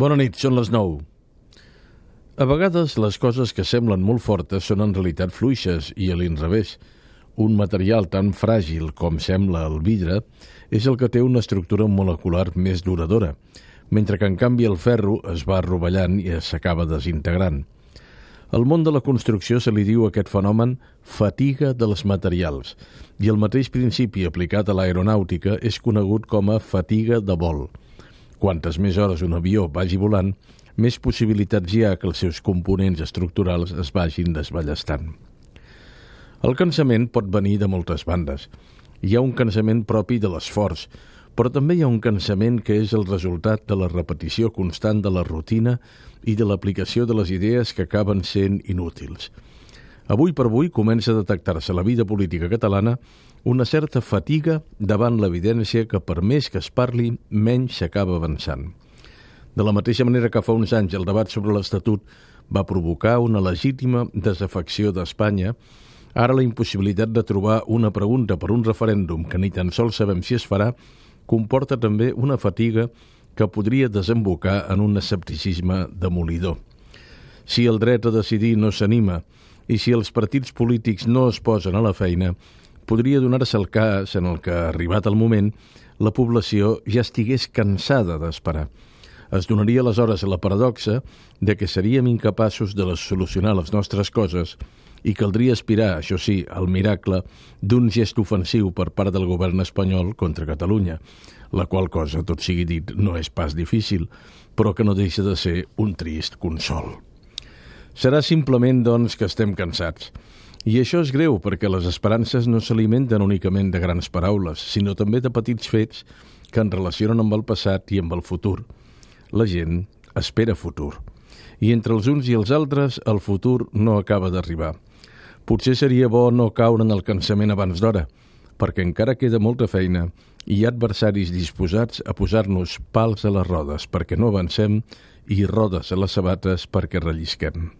Bona nit, són les 9. A vegades les coses que semblen molt fortes són en realitat fluixes i a l'inrevés. Un material tan fràgil com sembla el vidre és el que té una estructura molecular més duradora, mentre que en canvi el ferro es va rovellant i s'acaba desintegrant. Al món de la construcció se li diu a aquest fenomen fatiga dels materials i el mateix principi aplicat a l'aeronàutica és conegut com a fatiga de vol. Quantes més hores un avió vagi volant, més possibilitats hi ha que els seus components estructurals es vagin desballestant. El cansament pot venir de moltes bandes. Hi ha un cansament propi de l'esforç, però també hi ha un cansament que és el resultat de la repetició constant de la rutina i de l'aplicació de les idees que acaben sent inútils. Avui per avui comença a detectar-se a la vida política catalana una certa fatiga davant l'evidència que per més que es parli, menys s'acaba avançant. De la mateixa manera que fa uns anys el debat sobre l'Estatut va provocar una legítima desafecció d'Espanya, ara la impossibilitat de trobar una pregunta per un referèndum que ni tan sols sabem si es farà comporta també una fatiga que podria desembocar en un escepticisme demolidor. Si el dret a decidir no s'anima i si els partits polítics no es posen a la feina, podria donar-se el cas en el que, arribat el moment, la població ja estigués cansada d'esperar. Es donaria aleshores la paradoxa de que seríem incapaços de solucionar les nostres coses i caldria aspirar, això sí, al miracle d'un gest ofensiu per part del govern espanyol contra Catalunya, la qual cosa, tot sigui dit, no és pas difícil, però que no deixa de ser un trist consol. Serà simplement, doncs, que estem cansats. I això és greu perquè les esperances no s'alimenten únicament de grans paraules, sinó també de petits fets que en relacionen amb el passat i amb el futur. La gent espera futur. I entre els uns i els altres, el futur no acaba d'arribar. Potser seria bo no caure en el cansament abans d'hora, perquè encara queda molta feina i hi ha adversaris disposats a posar-nos pals a les rodes perquè no avancem i rodes a les sabates perquè rellisquem.